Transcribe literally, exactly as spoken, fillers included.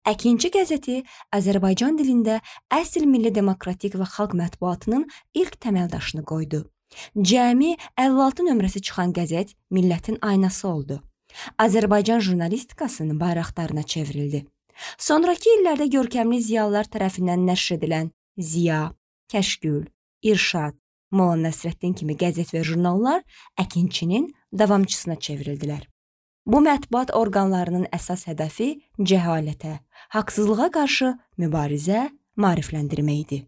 Əkinçi qəzeti Azərbaycan dilində əsl milli demokratik və xalq mətbuatının ilk təməldaşını qoydu. Cəmi əlli altı nömrəsi çıxan qəzet millətin aynası oldu. Azərbaycan jurnalistikasının bayraqdarına çevrildi. Sonrakı illərdə görkəmli ziyalılar tərəfindən nəşr edilən Ziya, Kəşkül, İrşad, Molla Nəsrəddin kimi qəzet və jurnallar Əkinçinin davamçısına çevrildilər. Bu mətbuat orqanlarının əsas hədəfi cəhalətə, haqsızlığa qarşı mübarizə, maarifləndirmə idi.